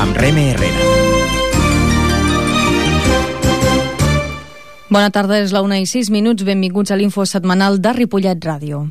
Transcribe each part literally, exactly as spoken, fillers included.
amb Reme Herrera. Bona tarda, és la una i sis minuts. Benvinguts a l'info setmanal de Ripollet Ràdio.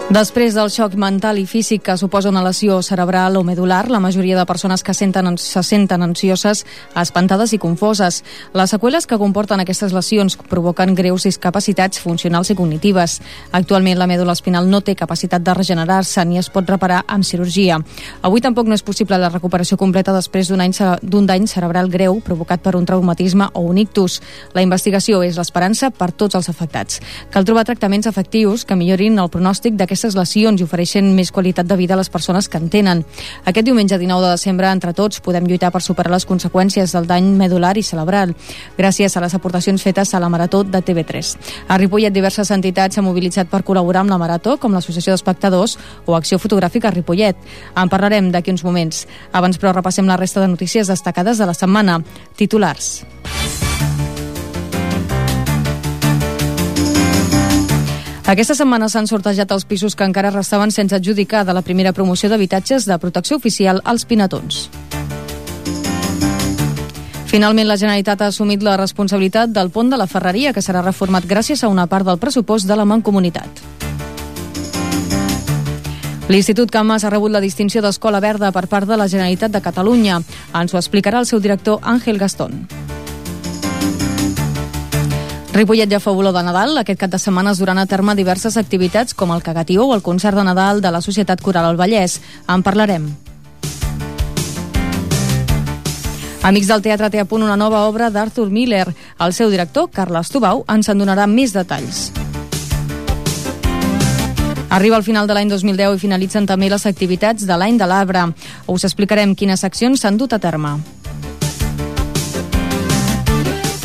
Després del xoc mental i físic que suposa una lesió cerebral o medular, la majoria de persones que senten, se senten ansioses, espantades i confoses. Les seqüeles que comporten aquestes lesions provoquen greus discapacitats funcionals i cognitives. Actualment, la mèdula espinal no té capacitat de regenerar-se ni es pot reparar amb cirurgia. Avui tampoc no és possible la recuperació completa després d'un any d'un dany cerebral greu provocat per un traumatisme o un ictus. La investigació és l'esperança per tots els afectats. Cal trobar tractaments efectius que millorin el pronòstic d'aquestes lesions i ofereixen més qualitat de vida a les persones que en tenen. Aquest diumenge dinou de desembre, entre tots, podem lluitar per superar les conseqüències del dany medular i cerebral, gràcies a les aportacions fetes a la Marató de T V tres. A Ripollet, diverses entitats s'han mobilitzat per col·laborar amb la Marató, com l'Associació d'Espectadors o Acció Fotogràfica Ripollet. En parlarem d'aquí uns moments. Abans, però, repassem la resta de notícies destacades de la setmana. Titulars. Aquesta setmana s'han sortejat els pisos que encara restaven sense adjudicar de la primera promoció d'habitatges de protecció oficial als Pinatons. Finalment, la Generalitat ha assumit la responsabilitat del pont de la Ferreria, que serà reformat gràcies a una part del pressupost de la Mancomunitat. L'Institut Camas ha rebut la distinció d'Escola Verda per part de la Generalitat de Catalunya. Ens ho explicarà el seu director, Àngel Gastón. Ripollet ja fa olor de Nadal. Aquest cap de setmana es duran a terme diverses activitats com el Cagatió o el concert de Nadal de la Societat Coral al Vallès. En parlarem. Amics del Teatre té a punt una nova obra d'Arthur Miller. El seu director, Carles Tubau, ens en donarà més detalls. Arriba el final de l'any dos mil deu i finalitzen també les activitats de l'any de l'arbre. Us explicarem quines accions s'han dut a terme.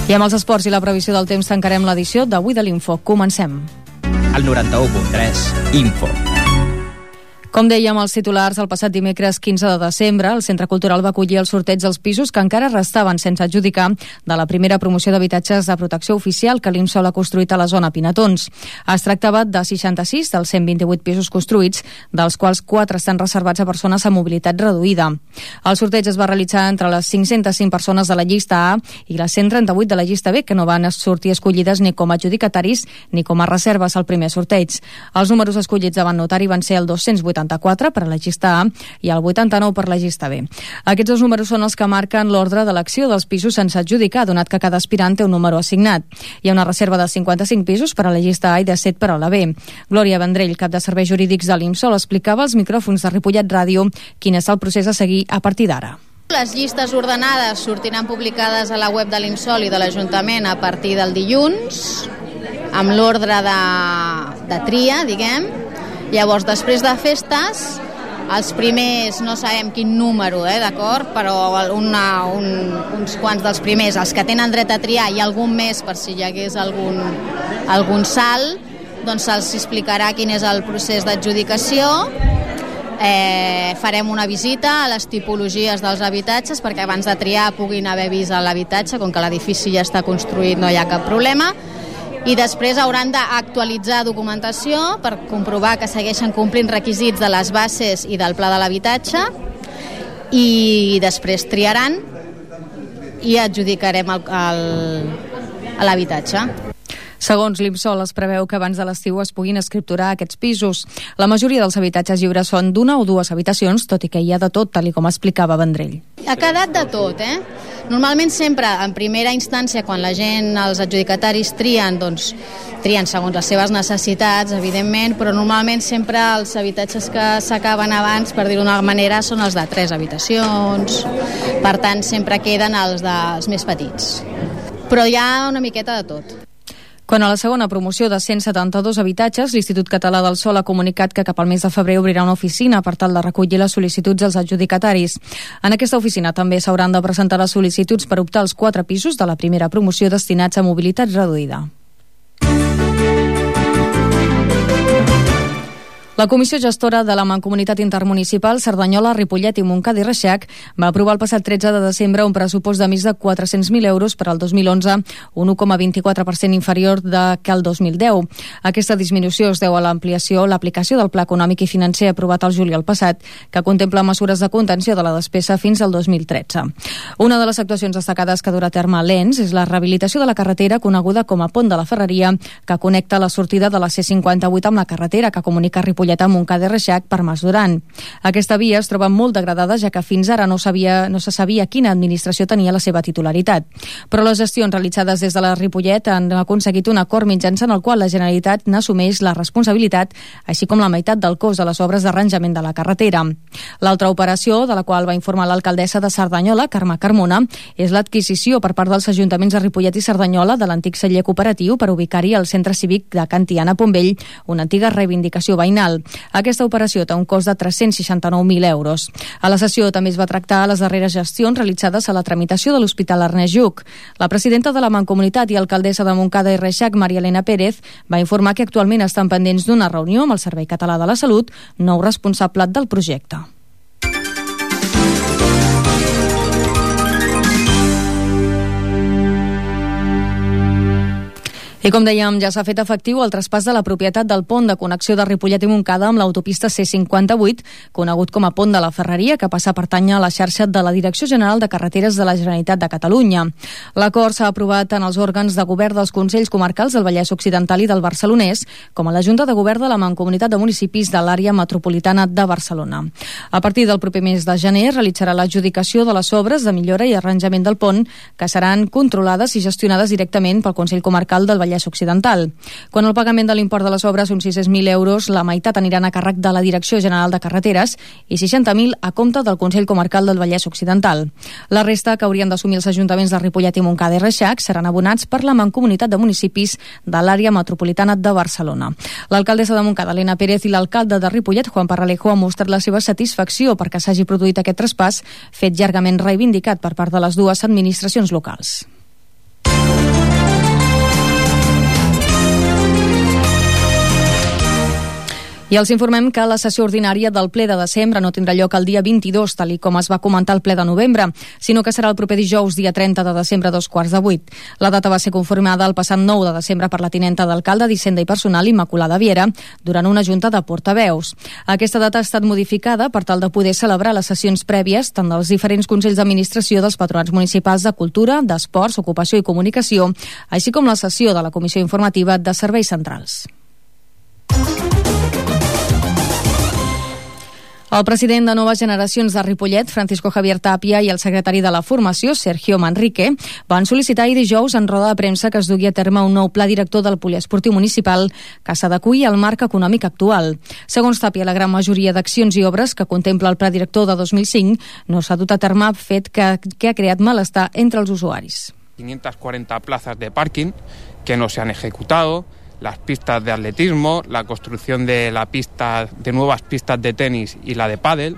I amb els esports i la previsió del temps tancarem l'edició d'avui de l'Info. Comencem. El noranta-u punt tres, Info. Com dèiem els titulars, el passat dimecres quinze de desembre, el Centre Cultural va acollir el sorteig dels pisos que encara restaven sense adjudicar de la primera promoció d'habitatges de protecció oficial que l'Imsol ha construït a la zona Pinatons. Es tractava de seixanta-sis dels cent vint-i-vuit pisos construïts, dels quals quatre estan reservats a persones amb mobilitat reduïda. El sorteig es va realitzar entre les cinc-centes cinc persones de la llista A i les cent trenta-vuit de la llista B, que no van sortir escollides ni com a adjudicataris ni com a reserves al primer sorteig. Els números escollits davant notari van ser el dos-cents vuitanta-quatre per a la llista A i el vuitanta-nou per la llista B. Aquests dos números són els que marquen l'ordre d'elecció dels pisos sense adjudicar, donat que cada aspirant té un número assignat. Hi ha una reserva de cinquanta-cinc pisos per a la llista A i de set per a la B. Glòria Vendrell, cap de serveis jurídics de l'Imsol, explicava als micròfons de Ripollet Ràdio quin és el procés a seguir a partir d'ara. Les llistes ordenades sortiran publicades a la web de l'Imsol i de l'Ajuntament a partir del dilluns, amb l'ordre de, de tria, diguem. Llavors, després de festes, els primers, no sabem quin número, eh, d'acord, però una, un, uns quants dels primers, els que tenen dret a triar i algun més per si hi hagués algun, algun salt, doncs se'ls explicarà quin és el procés d'adjudicació. Eh, farem una visita a les tipologies dels habitatges perquè abans de triar puguin haver vist l'habitatge, com que l'edifici ja està construït no hi ha cap problema. I després hauran d'actualitzar documentació per comprovar que segueixen complint requisits de les bases i del pla de l'habitatge i després triaran i adjudicarem el, el, l'habitatge. Segons l'Imsol, es preveu que abans de l'estiu es puguin escripturar aquests pisos. La majoria dels habitatges lliures són d'una o dues habitacions, tot i que hi ha de tot, tal com explicava Vendrell. Ha quedat de tot, eh? Normalment sempre, en primera instància, quan la gent, els adjudicataris trien, doncs trien segons les seves necessitats, evidentment, però normalment sempre els habitatges que s'acaben abans, per dir-ho d'una manera, són els de tres habitacions. Per tant, sempre queden els, de, els més petits. Però hi ha una miqueta de tot. Quan a la segona promoció de cent setanta-dos habitatges, l'Institut Català del Sòl ha comunicat que cap al mes de febrer obrirà una oficina per tal de recollir les sol·licituds dels adjudicataris. En aquesta oficina també s'hauran de presentar les sol·licituds per optar als quatre pisos de la primera promoció destinats a mobilitat reduïda. La Comissió Gestora de la Mancomunitat Intermunicipal Cerdanyola, Ripollet i Montcada i Reixac va aprovar el passat tretze de desembre un pressupost de més de quatre-cents mil euros per al dos mil onze, un u coma vint-i-quatre per cent inferior de que el dos mil deu. Aquesta disminució es deu a l'ampliació, l'aplicació del Pla Econòmic i Financer aprovat al juliol passat, que contempla mesures de contenció de la despesa fins al dos mil tretze. Una de les actuacions destacades que durà a terme a l'E N S és la rehabilitació de la carretera coneguda com a Pont de la Ferreria, que connecta la sortida de la C cinquanta-vuit amb la carretera que comunica Ripollet amb Montcada i Reixac per Mas Duran. Aquesta via es troba molt degradada, ja que fins ara no, sabia, no se sabia quina administració tenia la seva titularitat. Però les gestions realitzades des de la Ripollet han aconseguit un acord mitjançant el qual la Generalitat n'assumeix la responsabilitat, així com la meitat del cost de les obres d'arranjament de la carretera. L'altra operació, de la qual va informar l'alcaldessa de Cerdanyola, Carme Carmona, és l'adquisició per part dels ajuntaments de Ripollet i Cerdanyola de l'antic celler cooperatiu per ubicar-hi al centre cívic de Can Tiana Pombell, una antiga reivindicació veïnal. Aquesta operació té un cost de tres-cents seixanta-nou mil euros. A la sessió també es va tractar les darreres gestions realitzades a la tramitació de l'Hospital Ernest Lluch. La presidenta de la Mancomunitat i alcaldessa de Montcada i Reixac, Maria Elena Pérez, va informar que actualment estan pendents d'una reunió amb el Servei Català de la Salut, nou responsable del projecte. I com dèiem, ja s'ha fet efectiu el traspàs de la propietat del pont de connexió de Ripollet i Montcada amb l'autopista C cinquanta-vuit, conegut com a Pont de la Ferreria, que passa a pertànyer a la xarxa de la Direcció General de Carreteres de la Generalitat de Catalunya. L'acord s'ha aprovat en els òrgans de govern dels Consells Comarcals del Vallès Occidental i del Barcelonès, com a la Junta de Govern de la Mancomunitat de Municipis de l'Àrea Metropolitana de Barcelona. A partir del proper mes de gener realitzarà l'adjudicació de les obres de millora i arranjament del pont, que seran controlades i gestionades directament pel Consell Comarcal del Vallès Occidental. Quan el pagament de l'import de les obres són sis-cents mil euros, la meitat aniran a càrrec de la Direcció General de Carreteres i seixanta mil a compte del Consell Comarcal del Vallès Occidental. La resta, que haurien d'assumir els ajuntaments de Ripollet i Montcada i Reixac, seran abonats per la Mancomunitat de Municipis de l'Àrea Metropolitana de Barcelona. L'alcaldessa de Montcada, Elena Pérez, i l'alcalde de Ripollet, Juan Parralejo, han mostrat la seva satisfacció perquè s'hagi produït aquest traspàs, fet llargament reivindicat per part de les dues administracions locals. I els informem que la sessió ordinària del ple de desembre no tindrà lloc el dia vint-i-dos, tal i com es va comentar al ple de novembre, sinó que serà el proper dijous, dia trenta de desembre, a dos quarts de vuit. La data va ser confirmada el passat nou de desembre per la tinenta d'alcalde d'Hisenda i Personal, Immaculada Viera, durant una junta de portaveus. Aquesta data ha estat modificada per tal de poder celebrar les sessions prèvies tant dels diferents consells d'administració dels patronats municipals de Cultura, d'Esports, Ocupació i Comunicació, així com la sessió de la Comissió Informativa de Serveis Centrals. El president de Noves Generacions de Ripollet, Francisco Javier Tapia, i el secretari de la Formació, Sergio Manrique, van sol·licitar ahir dijous en roda de premsa que es dugui a terme un nou pla director del poliesportiu municipal que s'adeqüi al marc econòmic actual. Segons Tapia, la gran majoria d'accions i obres que contempla el pla director de dos mil cinc no s'ha dut a terme, fet que, que ha creat malestar entre els usuaris. quinientas cuarenta plazas de parking que no se han ejecutado, las pistas de atletismo, la construcción de la pista, de nuevas pistas de tenis y la de pádel,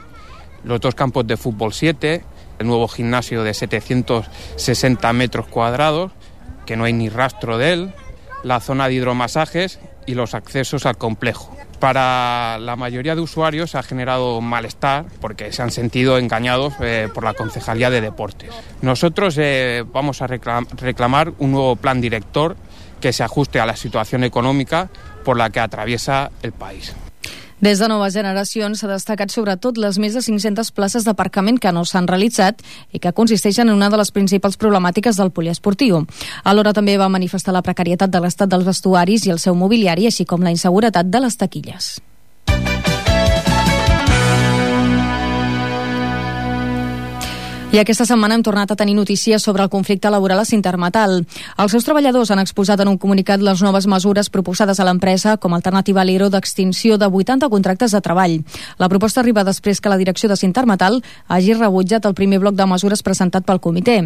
los dos campos de fútbol siete, el nuevo gimnasio de setecientos sesenta metros cuadrados, que no hay ni rastro de él, la zona de hidromasajes y los accesos al complejo. Para la mayoría de usuarios ha generado malestar porque se han sentido engañados eh, por la Concejalía de Deportes. Nosotros eh, vamos a reclam- reclamar un nuevo plan director que se ajuste a la situación econòmica por la que atraviesa el país. Des de Noves Generacions s'ha destacat sobretot les més de cinc-centes places d'aparcament que no s'han realitzat i que consisteixen en una de les principals problemàtiques del poliesportiu. Alhora també va manifestar la precarietat de l'estat dels vestuaris i el seu mobiliari, així com la inseguretat de les taquilles. I aquesta setmana hem tornat a tenir notícies sobre el conflicte laboral a Sintermetal. Els seus treballadors han exposat en un comunicat les noves mesures proposades a l'empresa com a alternativa a l'E R O d'extinció de vuitanta contractes de treball. La proposta arriba després que la direcció de Sintermetal hagi rebutjat el primer bloc de mesures presentat pel comitè.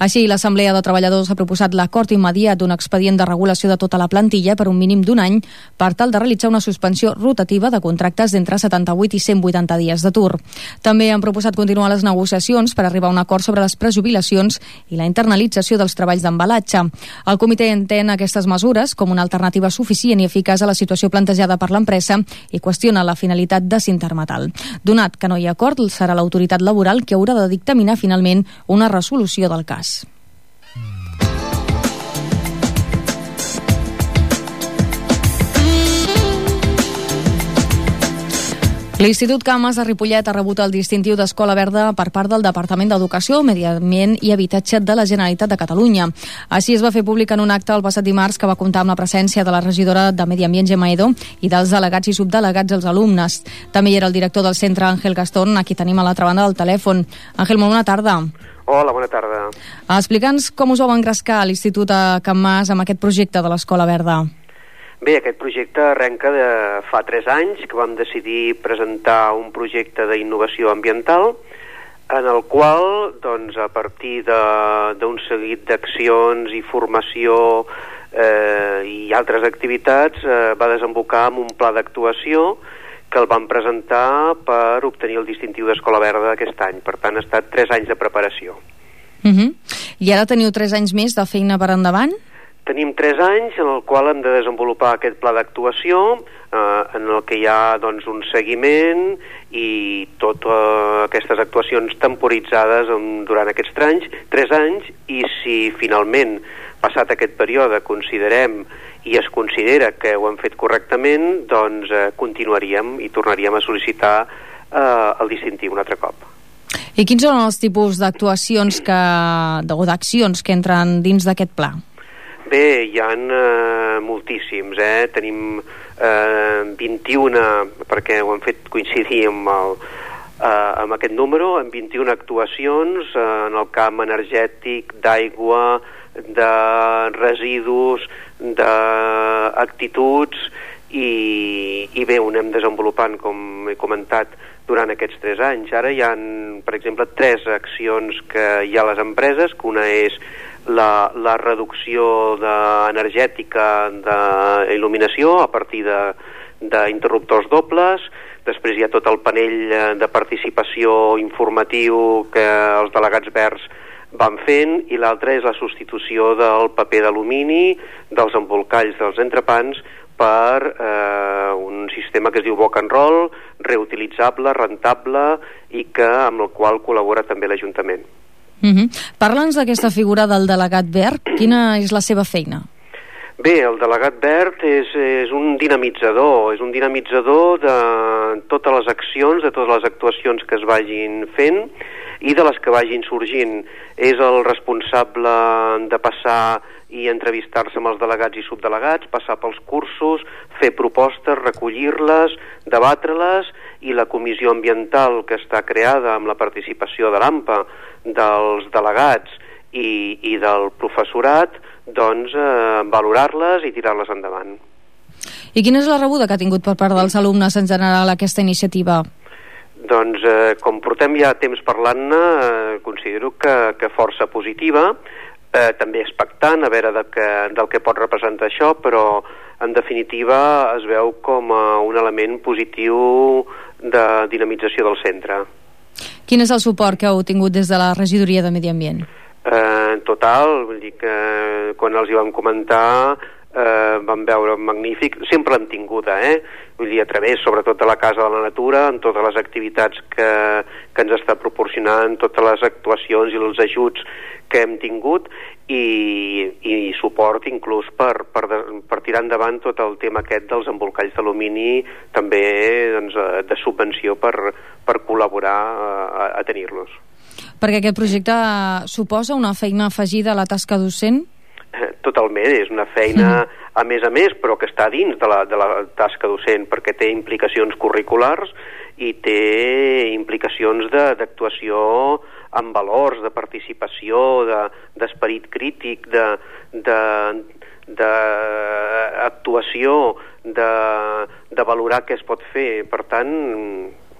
Així, l'Assemblea de Treballadors ha proposat l'acord immediat d'un expedient de regulació de tota la plantilla per un mínim d'un any per tal de realitzar una suspensió rotativa de contractes d'entre setanta-vuit i cent vuitanta dies d'atur. També han proposat continuar les negociacions per arribar arribar a un acord sobre les prejubilacions i la internalització dels treballs d'embalatge. El comitè entén aquestes mesures com una alternativa suficient i eficaç a la situació plantejada per l'empresa i qüestiona la finalitat de Sintermetal. Donat que no hi ha acord, serà l'autoritat laboral que haurà de dictaminar finalment una resolució del cas. L'Institut Cames de Ripollet ha rebut el distintiu d'Escola Verda per part del Departament d'Educació, Medi Ambient i Habitatge de la Generalitat de Catalunya. Així es va fer públic en un acte el passat dimarts que va comptar amb la presència de la regidora de Medi Ambient, Gemma Edo, i dels delegats i subdelegats dels alumnes. També hi era el director del centre, Àngel Gastón, a qui tenim a l'altra banda del telèfon. Àngel, molt bona tarda. Hola, bona tarda. Explica'ns com us vau engrescar a l'Institut a Can Mas amb aquest projecte de l'Escola Verda. Bé, aquest projecte arrenca de fa tres anys que vam decidir presentar un projecte d'innovació ambiental en el qual, doncs, a partir d'un seguit d'accions i formació eh, i altres activitats eh, va desembocar en un pla d'actuació que el vam presentar per obtenir el distintiu d'Escola Verda aquest any. Per tant, ha estat tres anys de preparació. Uh-huh. I ara teniu tres anys més de feina per endavant? Tenim tres anys en el qual hem de desenvolupar aquest pla d'actuació, eh, en el que hi ha, doncs, un seguiment i totes aquestes actuacions temporitzades en, durant aquests anys, tres anys, i si finalment, passat aquest període, considerem i es considera que ho hem fet correctament, doncs eh, continuaríem i tornaríem a sol·licitar eh, el distintiu un altre cop. I quins són els tipus d'actuacions que, o d'accions que entren dins d'aquest pla? Bé, hi ha eh, moltíssims, eh? Tenim eh, vint-i-una, perquè ho hem fet coincidir amb, el, eh, amb aquest número, amb vint-i-una actuacions eh, en el camp energètic, d'aigua, de residus, d'actituds, i, i bé, ho anem desenvolupant, com he comentat, durant aquests tres anys. Ara hi ha, per exemple, tres accions que hi ha a les empreses, que una és La, la reducció de, energètica d'il·luminació a partir d'interruptors dobles. Després hi ha tot el panell de participació informatiu que els delegats verds van fent, i l'altra és la substitució del paper d'alumini, dels embolcalls dels entrepans, per eh, un sistema que es diu Boc and Roll, reutilitzable, rentable, i que amb el qual col·labora també l'Ajuntament. Uh-huh. Parla'ns d'aquesta figura del delegat verd. Quina és la seva feina? Bé, el delegat verd és, és un dinamitzador, és un dinamitzador de totes les accions, de totes les actuacions que es vagin fent i de les que vagin sorgint. És el responsable de passar i entrevistar-se amb els delegats i subdelegats, passar pels cursos, fer propostes, recollir-les, debatre-les, i la comissió ambiental que està creada amb la participació de l'AMPA, dels delegats i, i del professorat, doncs eh, valorar-les i tirar-les endavant. I quina és la rebuda que ha tingut per part dels alumnes en general aquesta iniciativa? Doncs eh, com portem ja temps parlant-ne, eh, considero que, que força positiva, eh, també expectant a veure de que, del que pot representar això, però en definitiva es veu com a un element positiu de dinamització del centre. Quin és el suport que heu tingut des de la regidoria de Medi Ambient? Eh, en total, vull dir que quan els hi vam comentar eh, vam veure magnífic, sempre l'hem tinguda, eh? Vull dir, a través sobretot de la Casa de la Natura, en totes les activitats que, que ens està proporcionant, totes les actuacions i els ajuts que hem tingut, i, i suport inclús per, per, de, per tirar endavant tot el tema aquest dels embolcalls d'alumini, també doncs, de subvenció per, per col·laborar a, a tenir-los. Perquè aquest projecte suposa una feina afegida a la tasca docent? Totalment, és una feina a més a més, però que està dins de la, de la tasca docent, perquè té implicacions curriculars i té implicacions d'actuació amb valors, de participació, d'esperit de, crític, d'actuació, de, de, de, de valorar què es pot fer. Per tant,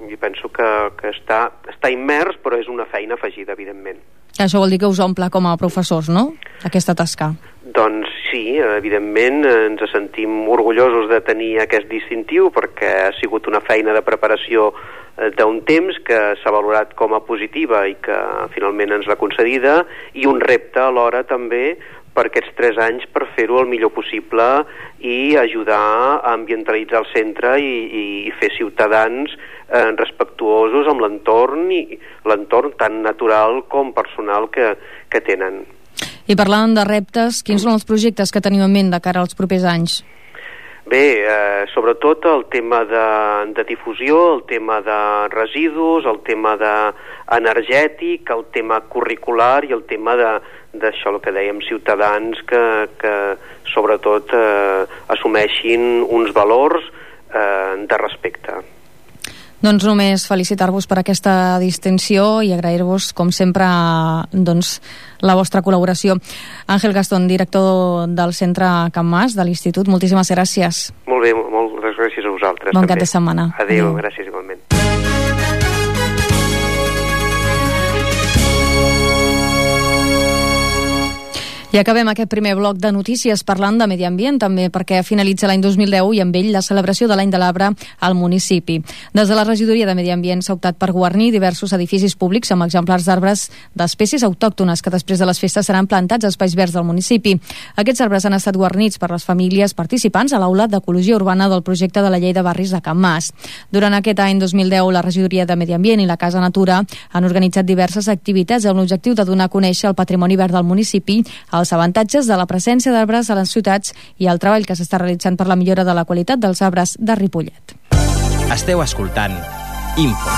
jo penso que, que està, està immers, però és una feina afegida, evidentment. Això vol dir que us omple com a professors, no?, aquesta tasca. Doncs sí, evidentment ens sentim orgullosos de tenir aquest distintiu perquè ha sigut una feina de preparació d'un temps que s'ha valorat com a positiva i que finalment ens l'ha concedida, i un repte alhora també per aquests tres anys per fer-ho el millor possible i ajudar a ambientalitzar el centre i, i fer ciutadans eh, respectuosos amb l'entorn i l'entorn tan natural com personal que, que tenen. I parlant de reptes, quins són els projectes que teniu en ment de cara als propers anys? Bé, eh, sobretot el tema de, de difusió, el tema de residus, el tema de energètic, el tema curricular i el tema de d'això, el que dèiem, ciutadans que, que sobretot eh, assumeixin uns valors eh, de respecte. Doncs només felicitar-vos per aquesta distinció i agrair-vos, com sempre, doncs, la vostra col·laboració. Àngel Gastón, director del Centre Can Mas, de l'Institut, moltíssimes gràcies. Molt bé, moltes gràcies a vosaltres. Bon també. Cap de setmana. Adéu, Adéu. Gràcies igualment. I acabem aquest primer bloc de notícies parlant de medi ambient, també perquè finalitza l'any dos mil deu i amb ell la celebració de l'any de l'arbre al municipi. Des de la regidoria de Medi Ambient s'ha optat per guarnir diversos edificis públics amb exemplars d'arbres d'espècies autòctones que després de les festes seran plantats a espais verds del municipi. Aquests arbres han estat guarnits per les famílies participants a l'aula d'Ecologia Urbana del projecte de la Llei de Barris de Can Mas. Durant aquest any dos mil deu, la regidoria de Medi Ambient i la Casa Natura han organitzat diverses activitats amb l'objectiu de donar a conèixer el patrimoni verd del municipi, els avantatges de la presència d'arbres a les ciutats i el treball que s'està realitzant per la millora de la qualitat dels arbres de Ripollet. Esteu escoltant Info.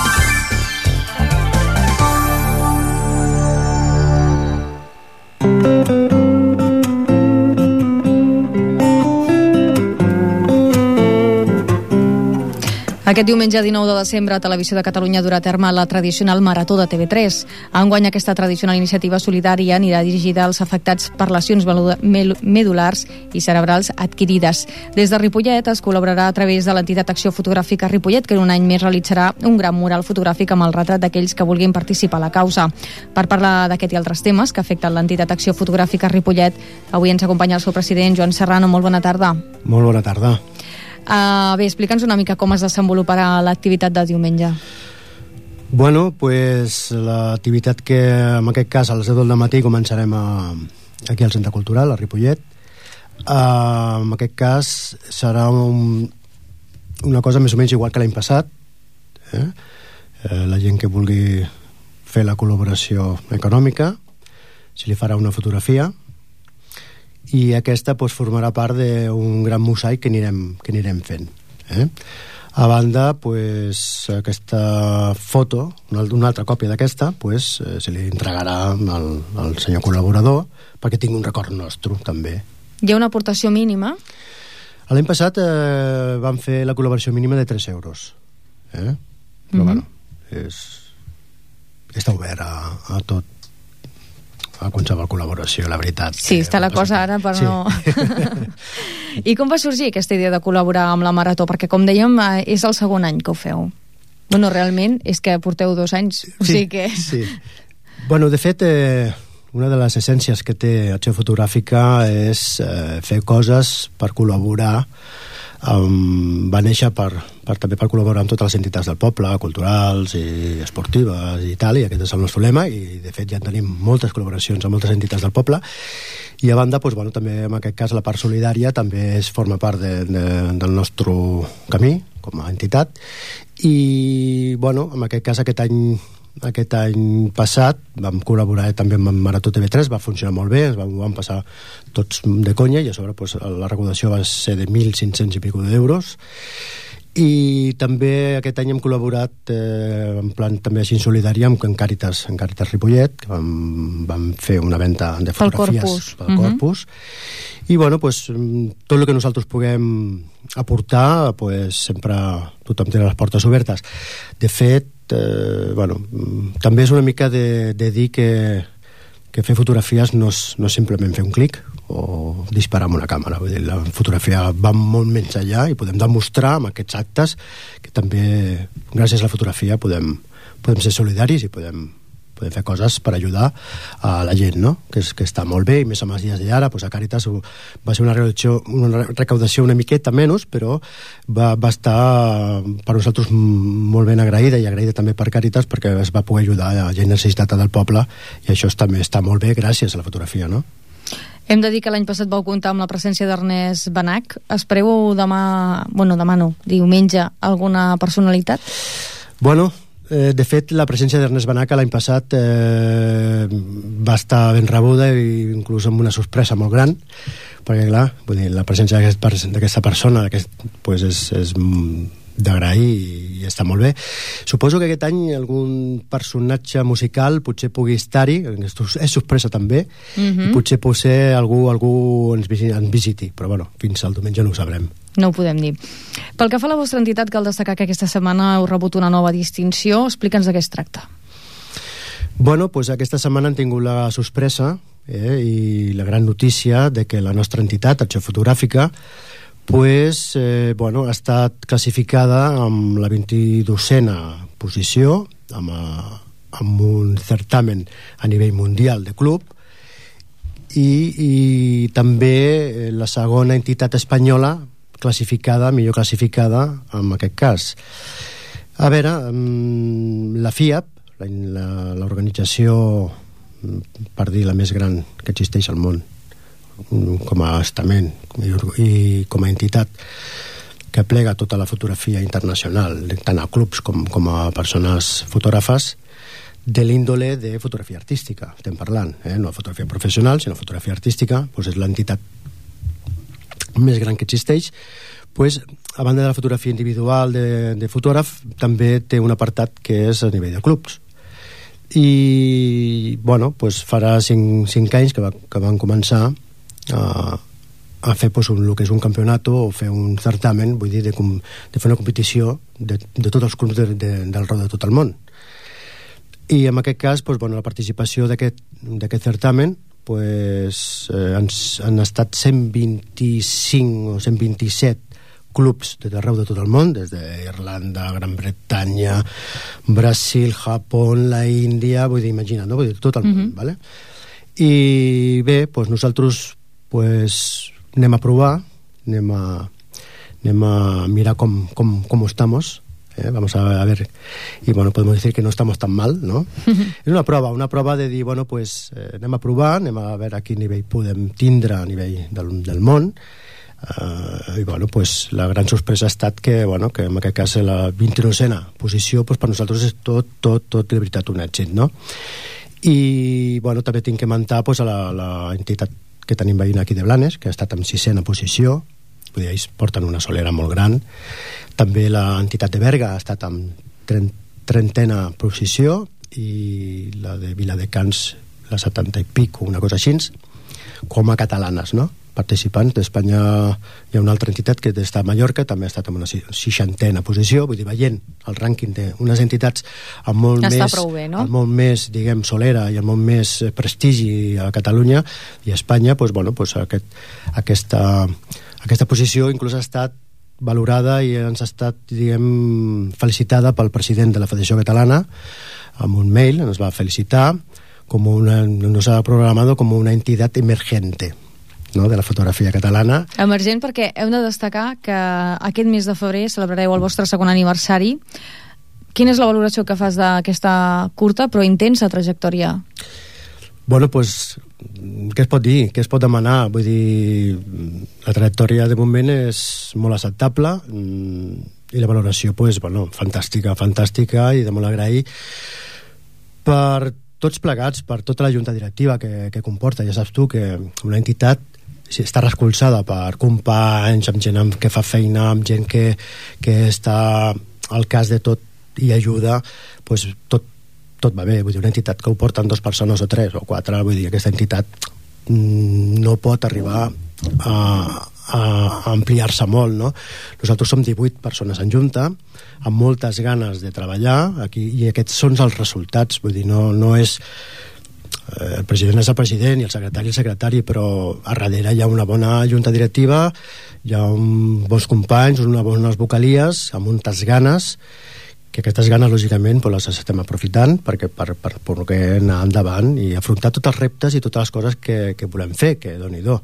Aquest diumenge dinou de desembre a Televisió de Catalunya durà a terme la tradicional Marató de T V tres. Enguany aquesta tradicional iniciativa solidària anirà dirigida als afectats per lesions medulars i cerebrals adquirides. Des de Ripollet es col·laborarà a través de l'entitat Acció Fotogràfica Ripollet, que un any més realitzarà un gran mural fotogràfic amb el retrat d'aquells que vulguin participar a la causa. Per parlar d'aquest i altres temes que afecten l'entitat Acció Fotogràfica Ripollet, avui ens acompanya el seu president, Joan Serrano. Molt bona tarda. Molt bona tarda. Uh, bé, explica'ns una mica com es desenvoluparà l'activitat de diumenge. Bueno, pues l'activitat que en aquest cas a les deu del matí començarem a, aquí al Centre Cultural, a Ripollet. Uh, en aquest cas serà un, una cosa més o menys igual que l'any passat. Eh? Uh, la gent que vulgui fer la col·laboració econòmica se li farà una fotografia i aquesta pues, formarà part d'un gran mosaic que anirem, que anirem fent. Eh? A banda, pues, aquesta foto, una, una altra còpia d'aquesta, pues, eh, se li entregarà al, al senyor col·laborador perquè tingui un record nostre, també. Hi ha una aportació mínima? L'any passat eh, vam fer la col·laboració mínima de tres euros. Eh? Però, mm-hmm. bueno, és, està obert a, a tot, a qualsevol col·laboració, la veritat. Sí, està la cosa ara, però sí. No... I com va sorgir aquesta idea de col·laborar amb la Marató? Perquè, com dèiem, és el segon any que ho feu. Bueno, realment és que porteu dos anys, o sí, sigui que... Sí. Bueno, de fet, eh, una de les essències que té Acció Fotogràfica és eh, fer coses per col·laborar. Um, va néixer per, per, també per col·laborar amb totes les entitats del poble, culturals i esportives i tal, i aquest és el nostre lema, i de fet ja tenim moltes col·laboracions amb moltes entitats del poble, i a banda, doncs, bueno, també en aquest cas la part solidària també es forma part de, de, del nostre camí com a entitat, i bueno, en aquest cas aquest any aquest any passat vam col·laborar també amb Marató T V tres, va funcionar molt bé, ens vam, vam passar tots de conya, i a sobre pues, la recaudació va ser de mil cinc-cents i pico d'euros, i també aquest any hem col·laborat eh, en plan també així solidari amb Càritas, en Càritas Ripollet, que vam, vam fer una venda de fotografies pel Corpus, pel Corpus. Uh-huh. I bueno, pues, tot el que nosaltres puguem aportar, pues, sempre tothom té les portes obertes. De fet, eh, bueno, també és una mica de, de dir que, que fer fotografies no és, no és simplement fer un clic o disparar amb una càmera. Vull dir, la fotografia va molt menys allà i podem demostrar amb aquests actes que també gràcies a la fotografia podem, podem ser solidaris i podem podem fer coses per ajudar a la gent, no? Que, és, que està molt bé, i més amb els dies d'ara, doncs a Càritas va ser una recaudació, una recaudació una miqueta menys, però va, va estar per nosaltres molt ben agraïda, i agraïda també per Càritas, perquè es va poder ajudar a la gent necessitada del poble, i això també està molt bé gràcies a la fotografia, no? Hem de dir que l'any passat vau comptar amb la presència d'Ernest Benach. Espereu demà, bueno, demà no, diumenge, alguna personalitat? Bueno, Eh, de fet, la presència d'Ernest Benach l'any passat eh, va estar ben rebuda, i inclús amb una sorpresa molt gran, perquè clar, vull dir, la presència d'aquesta persona aquest, pues és, és d'agrair, i, i està molt bé. Suposo que aquest any algun personatge musical potser pugui estar-hi, és sorpresa també, mm-hmm. i potser potser algú, algú ens, ens visiti, però bueno, fins al diumenge no ho sabrem. No ho podem dir. Pel que fa a la vostra entitat, cal destacar que aquesta setmana heu rebut una nova distinció. Explica'ns de què es tracta. Bueno, pues aquesta setmana hem tingut la sorpresa eh, i la gran notícia de que la nostra entitat, Acció Fotogràfica, pues, eh, bueno, ha estat classificada amb la vint-i-dosena posició, amb, a, amb un certamen a nivell mundial de club, i, i també la segona entitat espanyola classificada, millor classificada en aquest cas. A veure, la FIAP, l'organització, per dir, la més gran que existeix al món com a estament i com a entitat que plega tota la fotografia internacional, tant a clubs com, com a persones fotògrafes, de l'índole de fotografia artística estem parlant, eh? No fotografia professional sinó fotografia artística, doncs és l'entitat més gran que existeix. Pues, a banda de la fotografia individual de, de fotògraf, també té un apartat que és a nivell de clubs, i bueno, pues farà cinc, cinc anys que, va, que van començar a, a fer pues, un, el que és un campionat o fer un certamen, vull dir, de, de fer una competició de, de tots els clubs de, de, del rau de tot el món. I en aquest cas, pues, bueno, la participació d'aquest certamen, pues, eh, han, han estat cent vint-i-cinc o cent vint-i-set clubs de arreu de tot el món, des d'Irlanda, Gran Bretanya, Brasil, Japó, la Índia, vull dir, imagina't, no? Vull dir, tot el món, mm-hmm. ¿vale? I bé, pues nosaltres pues, anem a provar, anem a, anem a mirar com, com, com estamos, eh? Vamos a ver, y bueno, podemos decir que no estamos tan mal, ¿no? Mm-hmm. És una prova, una prova de dir, bueno, pues eh, anem a provar, anem a veure a quin nivell podem tindre a nivell del, del món. Uh, i bueno, pues la gran sorpresa ha estat que, bueno, que en aquest cas la vint-i-novena posició pues, per nosaltres és tot, tot, tot de veritat un èxit, no? I bueno, també tinc que mentar pues, a la, la entitat que tenim veïna aquí de Blanes, que ha estat en sisena posició, vull dir, ells porten una solera molt gran. També l'entitat de Berga ha estat en trentena posició, i la de Viladecans la setanta i pico, una cosa així, com a catalanes, no? Participants. D'Espanya hi ha una altra entitat que està a Mallorca, també ha estat en una seixantena posició, vull dir, veient el rànquing d'unes entitats amb molt està més, prou bé, no? amb molt més, diguem, solera i amb molt més prestigi a Catalunya i a Espanya, doncs, bueno, doncs aquest, aquesta, aquesta posició inclús ha estat valorada i ens ha estat, diguem, felicitada pel president de la Federació Catalana amb un mail, ens va felicitar com una, nos ha programado como una entidad emergente, no?, de la fotografia catalana. Emergent perquè heu de destacar que aquest mes de febrer celebrareu el vostre segon aniversari. Quina és la valoració que fas d'aquesta curta però intensa trajectòria? Bueno, pues, què es pot dir? Què es pot demanar? Vull dir, la trajectòria de moment és molt acceptable i la valoració, pues, bueno, fantàstica, fantàstica i de molt agrair per tots plegats, per tota la junta directiva que, que comporta. Ja saps tu que una entitat si està recolzada per companys, amb gent que fa feina, amb gent que, que està al cas de tot i ajuda, pues tot, tot va bé. Vull dir, una entitat que ho porten dues persones o tres o quatre, vull dir, aquesta entitat no pot arribar a, a ampliar-se molt, no? Nosaltres som divuit persones en junta, amb moltes ganes de treballar aquí, i aquests són els resultats. Vull dir, no, no és el president és el president i el secretari el secretari, però a darrere hi ha una bona junta directiva, hi ha un, bons companys, unes bones vocalies, amb moltes ganes, que aquestes ganes, lògicament, pues, les estem aprofitant perquè per, per, per poder anar endavant i afrontar tots els reptes i totes les coses que, que volem fer, que doni-do.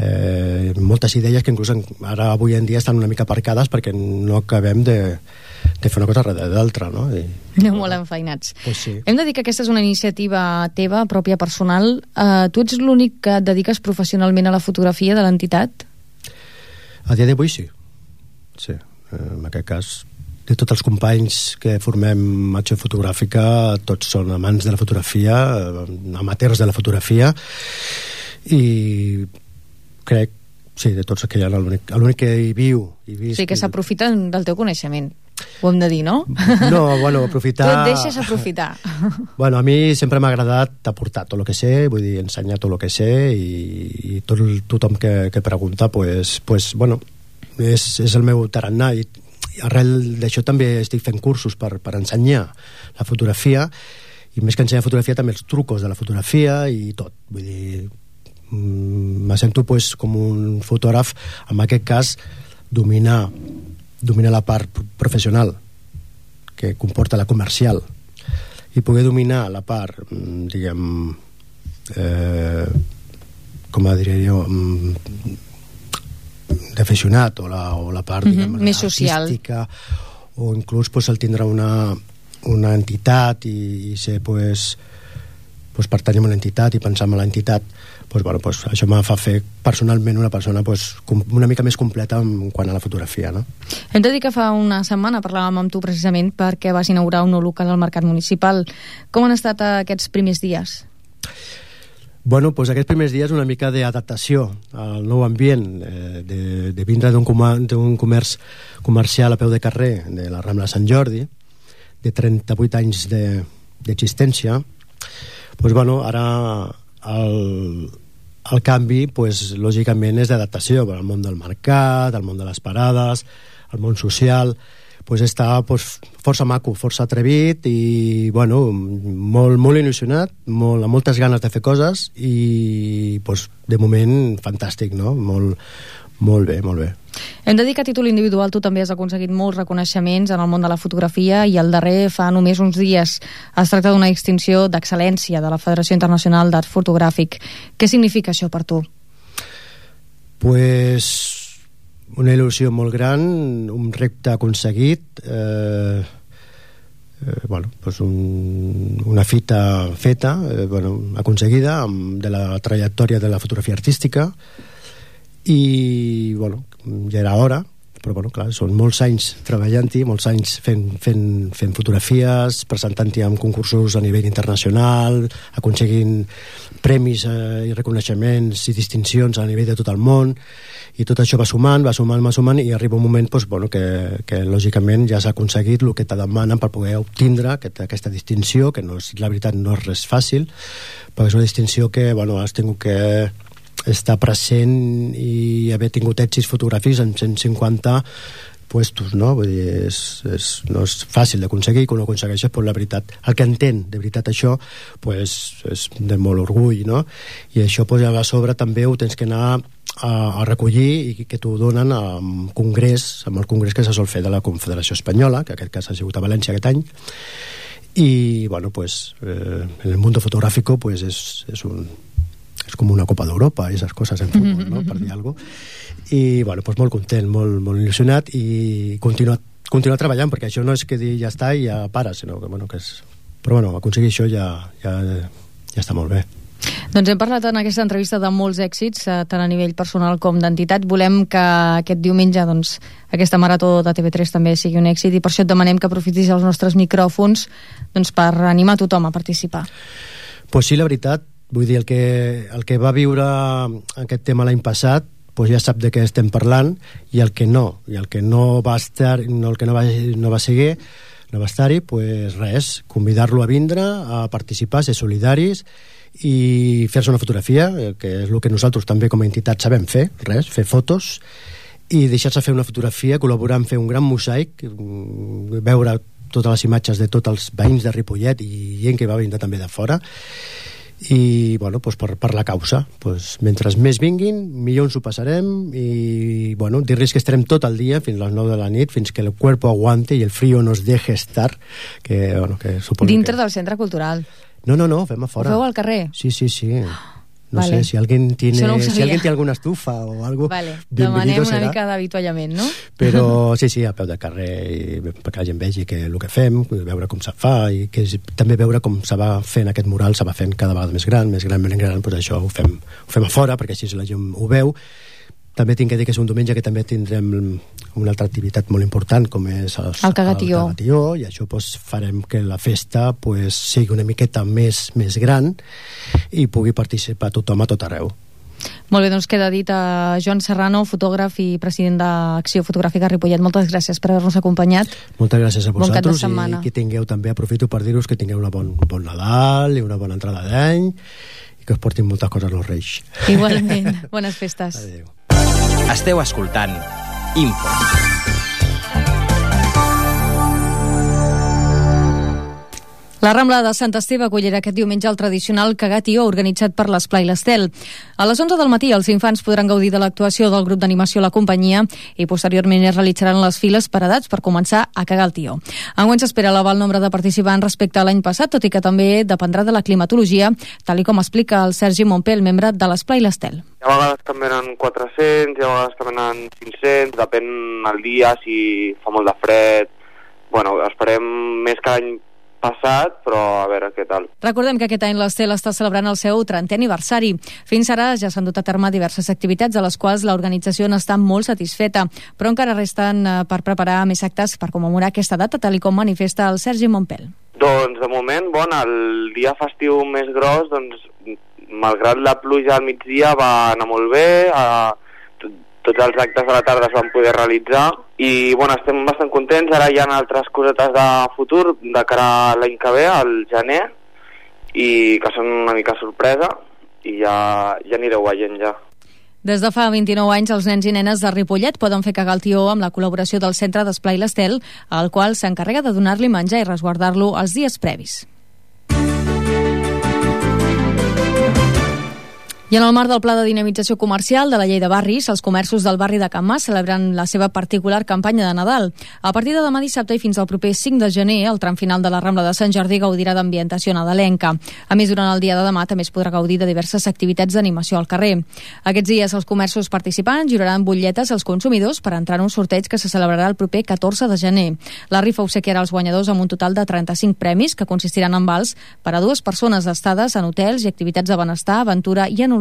Eh, moltes idees que inclús ara avui en dia estan una mica aparcades perquè no acabem de, de fer una cosa darrere d'altra, no? I, Aneu molt enfeinats. Pues sí. Hem de dir que aquesta és una iniciativa teva, pròpia, personal. Eh, tu ets l'únic que et dediques professionalment a la fotografia de l'entitat? A dia d'avui sí. Sí, eh, en aquest cas de tots els companys que formem Acció Fotogràfica, tots són amants de la fotografia, amateurs de la fotografia, i crec, sí, de tots que hi ha, l'únic, l'únic que hi viu i visc... Sí, que s'aprofiten del teu coneixement, ho hem de dir, no? No, bueno, aprofitar... Tu et deixes aprofitar. Bueno, a mi sempre m'ha agradat aportar tot el que sé, vull dir, ensenyar tot el que sé, i, i tot, tothom que, que pregunta, pues, pues, bueno, és, és el meu tarannà, i arrel d'això també estic fent cursos per, per ensenyar la fotografia, i més que ensenyar fotografia també els trucos de la fotografia i tot, vull dir, me sento pues, com un fotògraf, en aquest cas dominar, dominar la part professional que comporta la comercial, i poder dominar la part, diguem, eh, com diria jo, d'aficionat, o la, o la part mm-hmm, diguem, més social, artística, o inclús pues, el tindre una, una entitat i, i ser pues, pues, pertanyem a una entitat i pensar en l'entitat, pues, bueno, pues, això me fa fer personalment una persona pues, una mica més completa en quant a la fotografia, no? Hem de dir que fa una setmana parlàvem amb tu precisament perquè vas inaugurar un nou local al Mercat Municipal. Com han estat aquests primers dies? Bueno, doncs aquests primers dies una mica d'adaptació al nou ambient, eh, de, de vindre d'un comerç comercial a peu de carrer de la Rambla Sant Jordi, de trenta-vuit anys d'existència. Doncs, bueno, ara el, el canvi, pues, lògicament, és d'adaptació al món del mercat, al món de les parades, al món social. Pues està pues, força maco, força atrevit i bueno, molt, molt il·lusionat, molt, amb moltes ganes de fer coses i pues, de moment fantàstic, no? Molt, molt bé, molt bé. Hem de dir que a títol individual tu també has aconseguit molts reconeixements en el món de la fotografia i el darrer fa només uns dies. Es tracta d'una distinció d'excel·lència de la Federació Internacional d'Art Fotogràfic. Què significa això per tu? Pues una il·lusió molt gran, un repte aconseguit, eh, eh, bueno, pues un, una fita feta, eh, bueno, aconseguida amb, de la trajectòria de la fotografia artística, i bueno, ja era hora, però bueno, clar, són molts anys treballant-hi, molts anys fent, fent, fent fotografies, presentant-hi en concursos a nivell internacional, aconseguint premis eh, i reconeixements i distincions a nivell de tot el món, i tot això va sumant, va sumant, va sumant, i arriba un moment pues, bueno, que, que lògicament ja s'ha aconseguit el que te demanen per poder obtindre aquest, aquesta distinció, que no és, la veritat no és res fàcil, perquè és una distinció que bueno, has tingut que estar present i haver tingut èxits fotogràfics en cent cinquanta puestos, no? Vull dir, és, és, no és fàcil d'aconseguir, quan ho aconsegueixes, però la veritat, el que entén de veritat això, pues, és de molt orgull, no? I això pues, a sobre també ho tens que anar a, a recollir i que t'ho donen amb congrés, amb el congrés que se sol fer de la Confederació Espanyola, que en aquest cas ha sigut a València aquest any, i bueno, pues, eh, en el mundo fotográfico pues, és, és un és com una Copa d'Europa, esas coses en futbol, no? Per dir alguna cosa. I, bueno, pues molt content, molt, molt il·lusionat i continuar, continuar treballant, perquè això no és que dir ja està i ja para, sinó que, bueno, que és... Però, bueno, aconseguir això ja, ja, ja està molt bé. Doncs hem parlat en aquesta entrevista de molts èxits, tant a nivell personal com d'entitat. Volem que aquest diumenge doncs, aquesta marató de T V tres també sigui un èxit i per això et demanem que aprofitis els nostres micròfons doncs, per animar tothom a participar. Pues sí, la veritat, vull dir, el que, el que va viure aquest tema l'any passat pues ja sap de què estem parlant, i el que no, i el que no va estar, no, el que no va, no va seguir, no va estar-hi, pues res, convidar-lo a vindre, a participar, ser solidaris i fer-se una fotografia, que és el que nosaltres també com a entitat sabem fer, res, fer fotos, i deixar-se fer una fotografia, col·laborar en fer un gran mosaic, veure totes les imatges de tots els veïns de Ripollet i gent que va vindre també de fora, i bueno, pues per, per la causa, pues, mentre més vinguin millor ens ho passarem, i bueno, dir-los que estarem tot el dia fins a les nou de la nit, fins que el cuerpo aguante i el frío nos deje estar, que, bueno, que suposo dintre que... del centre cultural? No, no, no, fem a fora. Ho feu al carrer? Sí, sí, sí. No vale. sé, si alguien tiene no si alguien tiene alguna estufa o algo, vale. bienvenido serà. Demanem una mica d'avituallament, no? Però sí, sí, a peu de carrer, i perquè la gent vegi que el que fem, veure com se fa, i que també veure com se va fent aquest mural, se va fent cada vegada més gran, més gran, més gran, doncs això ho fem, ho fem a fora, perquè així la gent ho veu. També tinc que dir que és un diumenge que també tindrem una altra activitat molt important, com és el, el cagatió. el cagatió, i això pues, farem que la festa pues, sigui una miqueta més, més gran i pugui participar tothom a tot arreu. Molt bé, doncs queda dit a Joan Serrano, fotògraf i president d'Acció Fotogràfica Ripollet. Moltes gràcies per haver-nos acompanyat. Moltes gràcies a vosaltres, bon i que tingueu també, aprofito per dir-vos que tingueu una bon, bon Nadal i una bona entrada d'any, i que us portin moltes coses als Reis. Igualment, bones festes. Adéu. Esteu escoltant Info. La Rambla de Sant Esteve acollirà aquest diumenge el tradicional cagatió organitzat per l'Esplai l'Estel. A les onze del matí els infants podran gaudir de l'actuació del grup d'animació La Companyia i posteriorment es realitzaran les files per edats per començar a cagar el tió. Enguany s'espera elevar el nombre de participants respecte a l'any passat, tot i que també dependrà de la climatologia, tal i com explica el Sergi Montpel, membre de l'Esplai l'Estel. A vegades també eren quatre-cents, a vegades també eren cinc-cents, depèn el dia, si fa molt de fred. Bueno, esperem més que l'any passat, però a veure què tal. Recordem que aquest any l'Estel està celebrant el seu trentè aniversari. Fins ara ja s'han dut a terme diverses activitats a les quals l'organització n'està molt satisfeta, però encara resten per preparar més actes per commemorar aquesta data, tal i com manifesta el Sergi Montpel. Doncs de moment, bon, el dia festiu més gros, doncs malgrat la pluja al migdia va anar molt bé, a tots els actes de la tarda es van poder realitzar i bueno, estem bastant contents. Ara hi ha altres cosetes de futur de cara a l'any que ve, al gener, i que són una mica sorpresa i ja, ja anireu veient ja. Des de fa vint-i-nou anys, els nens i nenes de Ripollet poden fer cagar el tió amb la col·laboració del Centre d'Esplai l'Estel, al qual s'encarrega de donar-li menjar i resguardar-lo els dies previs. I en el marc del Pla de Dinamització Comercial de la Llei de Barris, els comerços del barri de Can Mas celebren la seva particular campanya de Nadal. A partir de demà dissabte i fins al proper cinc de gener, el tram final de la Rambla de Sant Jordi gaudirà d'ambientació nadalenca. A més, durant el dia de demà també es podrà gaudir de diverses activitats d'animació al carrer. Aquests dies, els comerços participants lliuraran butlletes als consumidors per entrar en un sorteig que se celebrarà el proper catorze de gener. La rifa obsequiarà els guanyadors amb un total de trenta-cinc premis que consistiran en vals per a dues persones estades en hotels i activitats de benestar, aventura i enologia.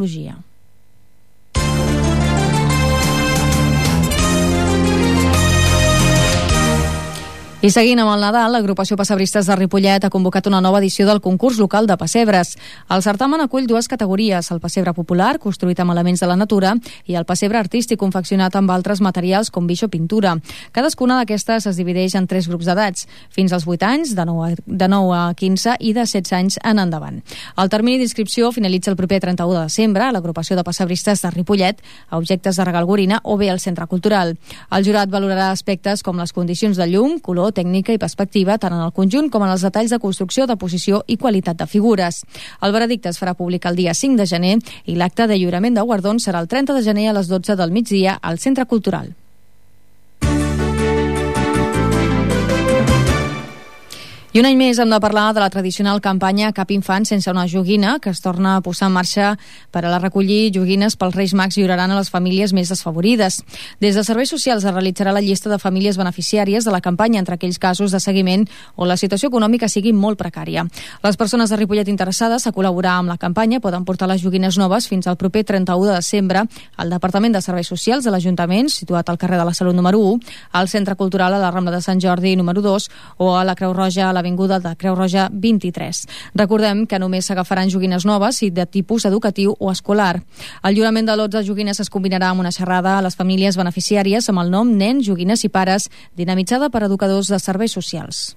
I seguint amb el Nadal, l'agrupació Pessebristes de Ripollet ha convocat una nova edició del concurs local de pessebres. El certamen acull dues categories, el pessebre popular, construït amb elements de la natura, i el pessebre artístic, confeccionat amb altres materials com guix o pintura. Cadascuna d'aquestes es divideix en tres grups d'edats, fins als vuit anys, de nou a quinze i de setze anys en endavant. El termini d'inscripció finalitza el proper trenta-u de desembre a l'agrupació de Pessebristes de Ripollet, a objectes de regal Gorina o bé al Centre Cultural. El jurat valorarà aspectes com les condicions de llum, color, tècnica i perspectiva, tant en el conjunt com en els detalls de construcció, de posició i qualitat de figures. El veredicte es farà públic el dia cinc de gener i l'acte de lliurament de guardons serà el trenta de gener a les dotze del migdia al Centre Cultural. I un any més hem de parlar de la tradicional campanya Cap infant sense una joguina, que es torna a posar en marxa per a la recollir joguines pels Reis Mags lliuraran a les famílies més desfavorides. Des de Serveis Socials es realitzarà la llista de famílies beneficiàries de la campanya entre aquells casos de seguiment on la situació econòmica sigui molt precària. Les persones de Ripollet interessades a col·laborar amb la campanya poden portar les joguines noves fins al proper trenta-u de desembre al Departament de Serveis Socials de l'Ajuntament, situat al carrer de la Salut número u, al Centre Cultural a la Rambla de Sant Jordi número dos o a la Creu Roja a la Avinguda de Creu Roja vint-i-tres. Recordem que només s'agafaran joguines noves i de tipus educatiu o escolar. El lliurament de lots de joguines es combinarà amb una xerrada a les famílies beneficiàries amb el nom Nens, Joguines i Pares, dinamitzada per educadors de serveis socials.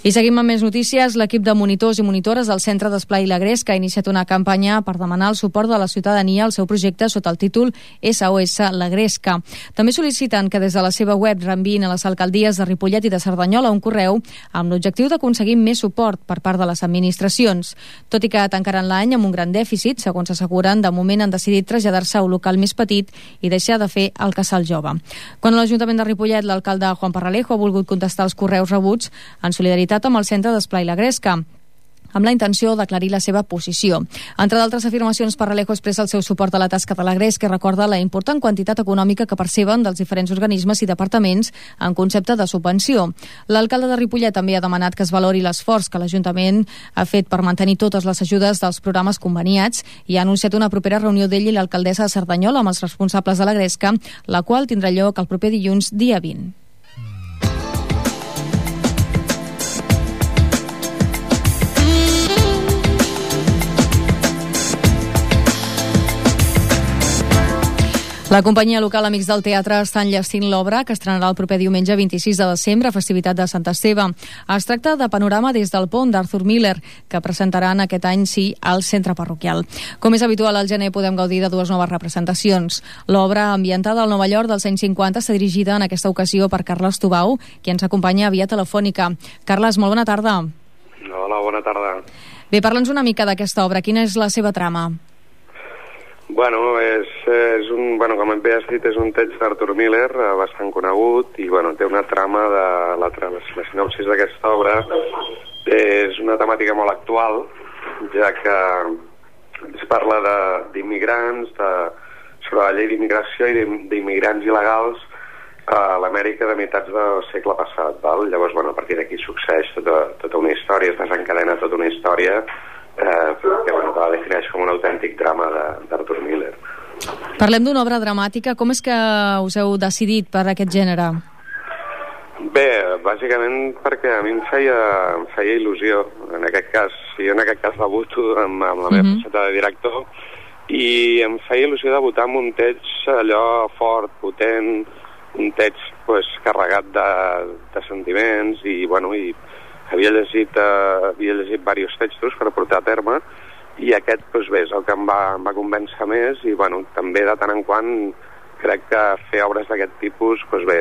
I seguim amb més notícies. L'equip de monitors i monitores del Centre d'Esplai La Gresca ha iniciat una campanya per demanar el suport de la ciutadania al seu projecte sota el títol S O S La Gresca. També sol·liciten que des de la seva web reenviïn a les alcaldies de Ripollet i de Cerdanyola un correu amb l'objectiu d'aconseguir més suport per part de les administracions. Tot i que tancaran l'any amb un gran dèficit, segons asseguren, de moment han decidit traslladar-se a un local més petit i deixar de fer el casal jove. Quan a l'Ajuntament de Ripollet, l'alcalde Juan Parralejo ha volgut contestar els correus rebuts en solidaritat amb el Centre d'Esplai La Gresca, amb la intenció d'aclarir la seva posició. Entre d'altres afirmacions, Parralejo expressa el seu suport a la tasca de la Gresca i recorda la important quantitat econòmica que perceben dels diferents organismes i departaments en concepte de subvenció. L'alcalde de Ripollet també ha demanat que es valori l'esforç que l'Ajuntament ha fet per mantenir totes les ajudes dels programes conveniats i ha anunciat una propera reunió d'ell i l'alcaldessa de Cerdanyola amb els responsables de la Gresca, la qual tindrà lloc el proper dilluns, dia vint. La companyia local Amics del Teatre està enllestint l'obra que estrenarà el proper diumenge vint-i-sis de desembre, festivitat de Sant Esteve. Es tracta de Panorama des del pont d'Arthur Miller, que presentaran aquest any sí al centre parroquial. Com és habitual, al gener podem gaudir de dues noves representacions. L'obra, ambientada al Nova York dels anys cinquanta, està dirigida en aquesta ocasió per Carles Tubau, qui ens acompanya via telefònica. Carles, molt bona tarda. Hola, bona tarda. Bé, parla'ns una mica d'aquesta obra. Quina és la seva trama? Bueno, és, és un, bueno, com bé has dit, és un text d'Arthur Miller, eh, bastant conegut, i bueno, té una trama de la, la sinopsis d'aquesta obra. És una temàtica molt actual, ja que es parla d'immigrants, de, sobre la llei d'immigració i d'immigrants il·legals a l'Amèrica de meitats del segle passat. Val? Llavors, bueno, a partir d'aquí succeeix tota, tota una història, es desencadena tota una història Eh, que, bueno, que la defineix com un autèntic drama d'Arthur Miller. Parlem d'una obra dramàtica. Com és que us heu decidit per aquest gènere? Bé, bàsicament perquè a mi em feia, em feia il·lusió. En aquest cas, jo en aquest cas debuto amb, amb la meva mm-hmm. faceta de director, i em feia il·lusió debutar amb un text allò fort, potent, un text pues, carregat de, de sentiments, i bueno, i havia llegit, eh, havia llegit diversos textos per portar a terme, i aquest doncs, bé, és el que em va, em va convèncer més, i bueno, també de tant en quant crec que fer obres d'aquest tipus doncs, bé,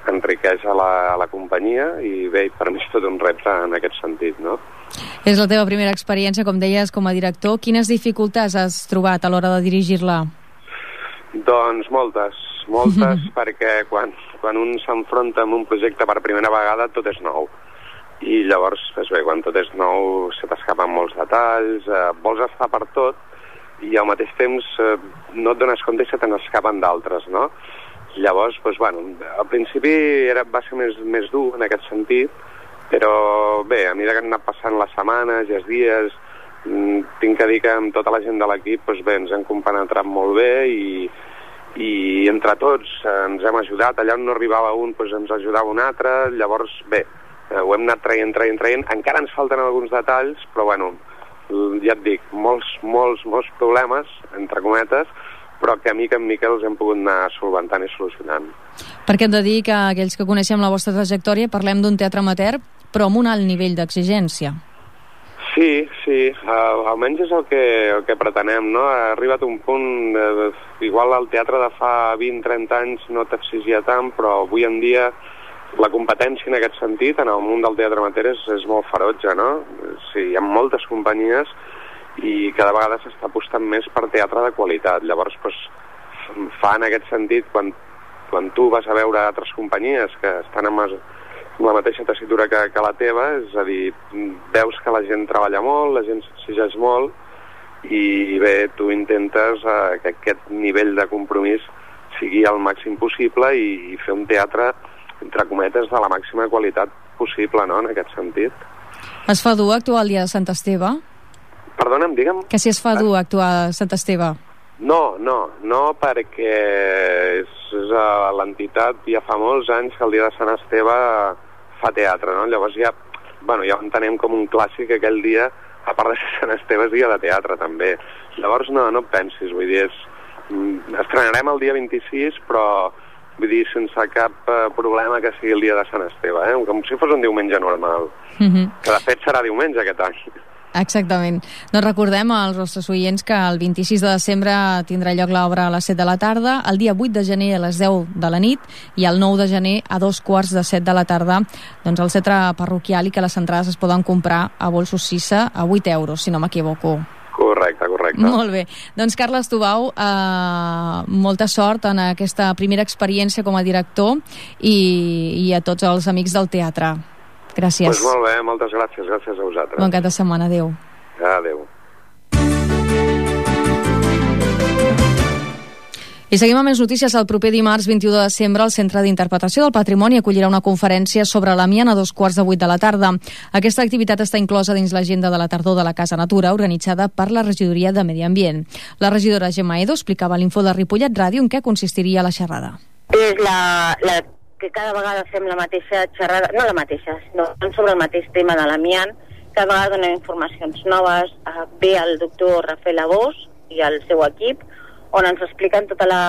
enriqueix a la, a la companyia, i bé, per mi és tot un repte en aquest sentit, no? És la teva primera experiència, com deies, com a director. Quines dificultats has trobat a l'hora de dirigir-la? Doncs moltes, moltes, perquè quan, quan un s'enfronta amb un projecte per primera vegada tot és nou. I llavors, doncs bé, quan tot és nou se t'escapen molts detalls, eh, vols estar per tot i al mateix temps eh, no et dones compte i se te n'escapen d'altres, no? Llavors, doncs, bueno, al principi era, va ser més, més dur en aquest sentit, però bé, a mesura que han anat passant les setmanes i els dies, mm, tinc que dir que amb tota la gent de l'equip doncs bé, ens hem compenetrat molt bé, i, i entre tots eh, ens hem ajudat. Allà on no arribava un, doncs ens ajudava un altre. Llavors, bé, Eh, ho hem anat traient, traient, traient. Encara ens falten alguns detalls, però bueno, ja et dic, molts, molts, molts problemes, entre cometes, però que a mica en mica els hem pogut anar solventant i solucionant. Perquè hem de dir que aquells que coneixem la vostra trajectòria parlem d'un teatre amateur, però amb un alt nivell d'exigència. Sí, sí, uh, almenys és el que, el que pretenem, no? Ha arribat un punt, eh, igual el teatre de fa vint trenta anys no t'exigia tant, però avui en dia la competència en aquest sentit, en el món del teatre amateur, és, és molt ferotge, no? Sí, hi ha moltes companyies i cada vegada s'està apostant més per teatre de qualitat. Llavors, doncs, fa en aquest sentit, quan, quan tu vas a veure altres companyies que estan amb, amb la mateixa tessitura que, que la teva, és a dir, veus que la gent treballa molt, la gent s'exigeix molt, i bé, tu intentes eh, que aquest nivell de compromís sigui el màxim possible i, i fer un teatre entre cometes de la màxima qualitat possible, no?, en aquest sentit. Es fa dur actuar el dia de Sant Esteve? Perdona'm, digue'm. Que si es fa dur actuar a Sant Esteve? No, no, no, perquè és, és uh, l'entitat ja fa molts anys que el dia de Sant Esteve fa teatre, no? Llavors ja, bueno, ja ho entenem com un clàssic aquell dia, a part de ser Sant Esteve, és dia de teatre també. Llavors no, no et pensis, vull dir, és, estrenarem el dia vint-i-sis, però vull dir, sense cap eh, problema que sigui el dia de Sant Esteve, eh? Com si fos un diumenge normal, Mm-hmm. que de fet serà diumenge aquest any. Exactament. Doncs recordem als nostres oients que el vint-i-sis de desembre tindrà lloc l'obra a les set de la tarda, el dia vuit de gener a les deu de la nit i el nou de gener a dos quarts de set de la tarda, doncs al centre parroquial, i que les entrades es poden comprar a Bolsos Sissa a vuit euros, si no m'equivoco. Correcte, correcte. Molt bé. Doncs Carles Tubau, eh, molta sort en aquesta primera experiència com a director i, i a tots els amics del teatre. Gràcies. Pues molt bé, moltes gràcies, gràcies a vosaltres. Bon cap de setmana, adéu. Adéu. I seguim amb més notícies. El proper dimarts vint-i-u de desembre el Centre d'Interpretació del Patrimoni acollirà una conferència sobre l'amiant a dos quarts de vuit de la tarda. Aquesta activitat està inclosa dins l'agenda de la tardor de la Casa Natura, organitzada per la Regidoria de Medi Ambient. La regidora Gemma Edo explicava a l'Info de Ripollet Ràdio en què consistiria la xerrada. És la... la... que cada vegada fem la mateixa xerrada, no la mateixa, sinó sobre el mateix tema de l'amiant. Cada vegada donem informacions noves. Ve el doctor Rafael Abós i el seu equip, on ens expliquen tota la,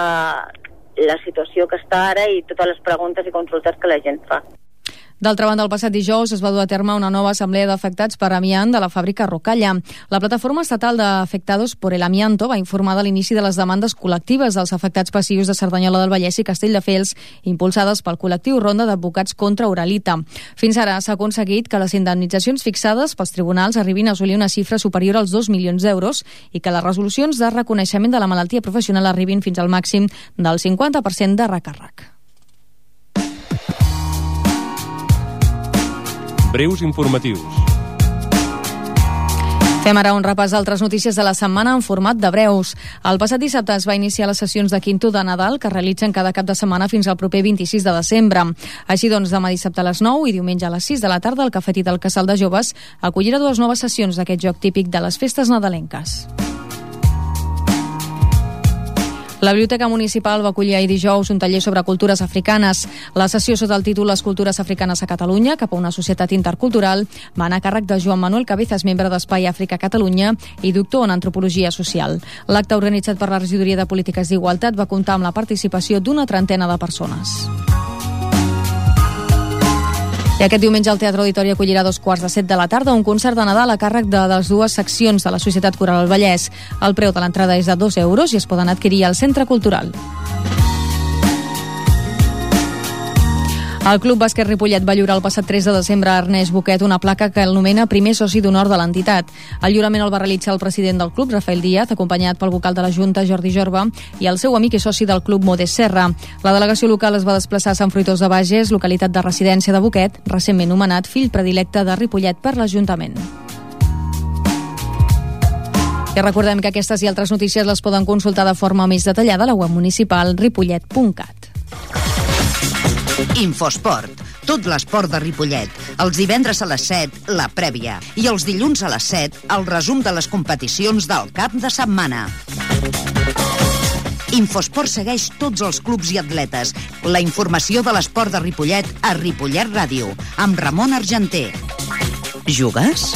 la situació que està ara i totes les preguntes i consultes que la gent fa. D'altra banda, el passat dijous es va dur a terme una nova assemblea d'afectats per amiant de la fàbrica Rocalla. La plataforma estatal d'afectados por el amianto va informar de l'inici de les demandes col·lectives dels afectats passius de Cerdanyola del Vallès i Castelldefels, impulsades pel col·lectiu Ronda d'Advocats contra Uralita. Fins ara s'ha aconseguit que les indemnitzacions fixades pels tribunals arribin a assolir una xifra superior als dos milions d'euros i que les resolucions de reconeixement de la malaltia professional arribin fins al màxim del cinquanta per cent de recàrrec. Breus informatius. Fem ara un repàs d'altres notícies de la setmana en format de breus. El passat dissabte es va iniciar les sessions de Quinto de Nadal que es realitzen cada cap de setmana fins al proper vint-i-sis de desembre. Així doncs, demà dissabte a les nou i diumenge a les sis de la tarda el Cafetí del Casal de Joves acollirà dues noves sessions d'aquest joc típic de les festes nadalenques. La Biblioteca Municipal va acollir ahir dijous un taller sobre cultures africanes. La sessió sota el títol Les cultures africanes a Catalunya, cap a una societat intercultural, va anar a càrrec de Joan Manuel Cabezas, membre d'Espai Àfrica Catalunya i doctor en Antropologia Social. L'acte organitzat per la Regidoria de Polítiques d'Igualtat va comptar amb la participació d'una trentena de persones. I aquest diumenge el Teatre Auditori acollirà a dos quarts de set de la tarda un concert de Nadal a càrrec de les dues seccions de la Societat Coral del Vallès. El preu de l'entrada és de dos euros i es poden adquirir al Centre Cultural. El Club Bàsquet Ripollet va lliurar el passat tres de desembre a Ernest Boquet una placa que el nomena primer soci d'honor de l'entitat. El lliurament el va realitzar el president del club, Rafael Díaz, acompanyat pel vocal de la Junta, Jordi Jorba, i el seu amic i soci del club, Modest Serra. La delegació local es va desplaçar a Sant Fruitós de Bages, localitat de residència de Boquet, recentment nomenat fill predilecte de Ripollet per l'Ajuntament. I recordem que aquestes i altres notícies les poden consultar de forma més detallada a la web municipal ripollet punt cat. Infosport. Tot l'esport de Ripollet. Els divendres a les set, la prèvia. I els dilluns a les set, el resum de les competicions del cap de setmana. Infosport segueix tots els clubs i atletes. La informació de l'esport de Ripollet a Ripollet Ràdio, amb Ramon Argenter. Jugues?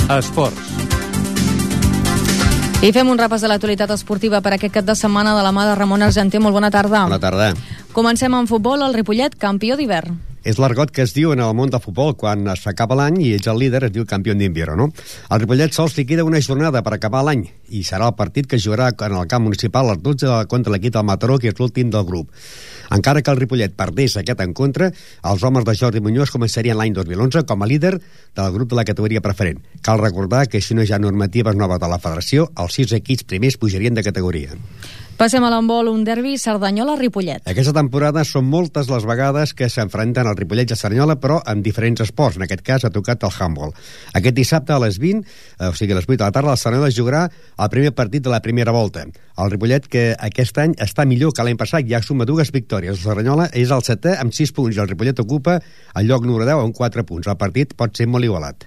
Esports. I fem un repàs de l'actualitat esportiva per aquest cap de setmana de la mà de Ramon Argenter. Molt bona tarda. Bona tarda. Comencem amb futbol. El Ripollet, campió d'hivern. És l'argot que es diu en el món del futbol quan es acaba l'any i ets el líder, es diu campió d'invierno, no? El Ripollet sols li queda una jornada per acabar l'any i serà el partit que jugarà en el camp municipal a les dotze contra l'equip del Mataró, que és l'últim del grup. Encara que el Ripollet perdés aquest encontre, els homes de Jordi Muñoz començarien l'any dos mil onze com a líder del grup de la categoria preferent. Cal recordar que si no hi ha normatives noves de la federació, els sis equips primers pujarien de categoria. Passem a l'handbol, un derbi Cerdanyola-Ripollet. Aquesta temporada són moltes les vegades que s'enfronten el Ripollet i el Cerdanyola, però en diferents esports. En aquest cas ha tocat el handball. Aquest dissabte a les vint, o sigui a les vuit de la tarda, el Cerdanyola jugarà el primer partit de la primera volta. El Ripollet, que aquest any està millor que l'any passat, ja suma dues victòries. El Cerdanyola és el setè amb sis punts i el Ripollet ocupa el lloc número deu amb quatre punts. El partit pot ser molt igualat.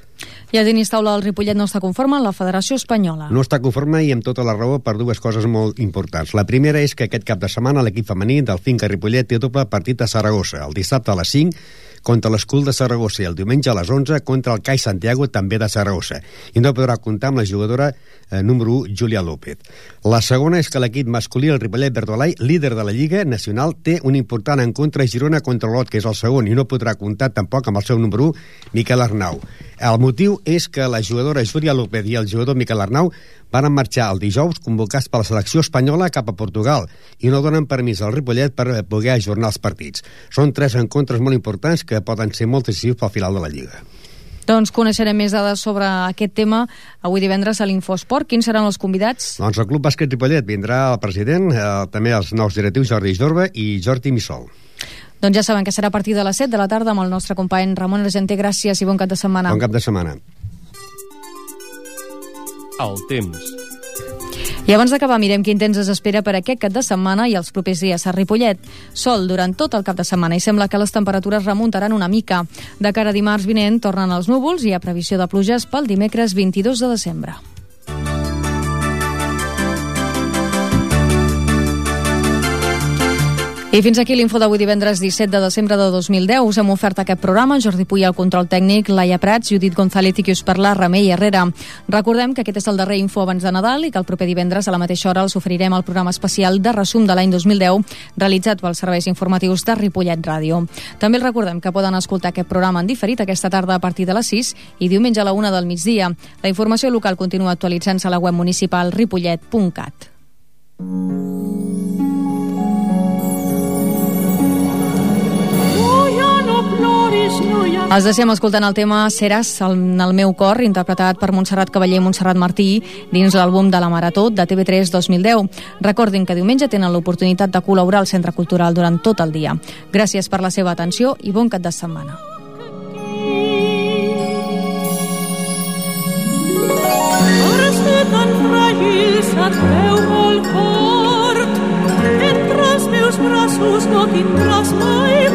I el tenis taula del Ripollet no està conforme amb la Federació Espanyola. No està conforme i amb tota la raó per dues coses molt importants. La primera és que aquest cap de setmana l'equip femení del Finca Ripollet té doble partit a Saragossa. El dissabte a les cinc contra l'Escul de Saragossa i el diumenge a les onze contra el CAI Santiago, també de Saragossa. I no podrà comptar amb la jugadora eh, número u, Júlia López. La segona és que l'equip masculí, el Ripollet Verdolai, líder de la Lliga Nacional, té un important encontre a Girona contra l'Olot, que és el segon, i no podrà comptar tampoc amb el seu número u, Miquel Arnau. El motiu és que la jugadora Júlia López i el jugador Miquel Arnau van marxar el dijous convocats per la selecció espanyola cap a Portugal i no donen permís al Ripollet per poder ajornar els partits. Són tres encontres molt importants que poden ser molt decisius pel final de la Lliga. Doncs coneixerem més dades sobre aquest tema avui divendres a l'Infosport. Quins seran els convidats? Doncs el Club Bàsquet Ripollet vindrà el president, eh, també els nous directius Jordi Jorba i Jordi Missol. Doncs ja saben que serà a partir de les set de la tarda amb el nostre company Ramon Argenter. Gràcies i bon cap de setmana. Bon cap de setmana. El temps. I abans d'acabar, mirem quin temps es espera per aquest cap de setmana i els propers dies a Ripollet. Sol durant tot el cap de setmana i sembla que les temperatures remuntaran una mica. De cara a dimarts vinent tornen els núvols i hi ha previsió de pluges pel dimecres vint-i-dos de desembre. I fins aquí l'info d'avui divendres disset de desembre de dos mil deu. Us hem ofert aquest programa. Jordi Puy al control tècnic, Laia Prats, Judit González i qui us parla, Remei Herrera. Recordem que aquest és el darrer info abans de Nadal i que el proper divendres a la mateixa hora els oferirem el programa especial de resum de l'any dos mil deu realitzat pels serveis informatius de Ripollet Ràdio. També els recordem que poden escoltar aquest programa en diferit aquesta tarda a partir de les sis i diumenge a la una del migdia. La informació local continua actualitzant-se a la web municipal ripollet punt cat. Els deixem escoltant el tema Seràs en el meu cor, interpretat per Montserrat Cavaller i Montserrat Martí dins l'àlbum de la Marató de T V tres dos mil deu. Recordin que diumenge tenen l'oportunitat de col·laborar al Centre Cultural durant tot el dia. Gràcies per la seva atenció i bon cap de setmana. Ara ser tan fràgil se't veu molt fort, entre els meus braços no tindràs mai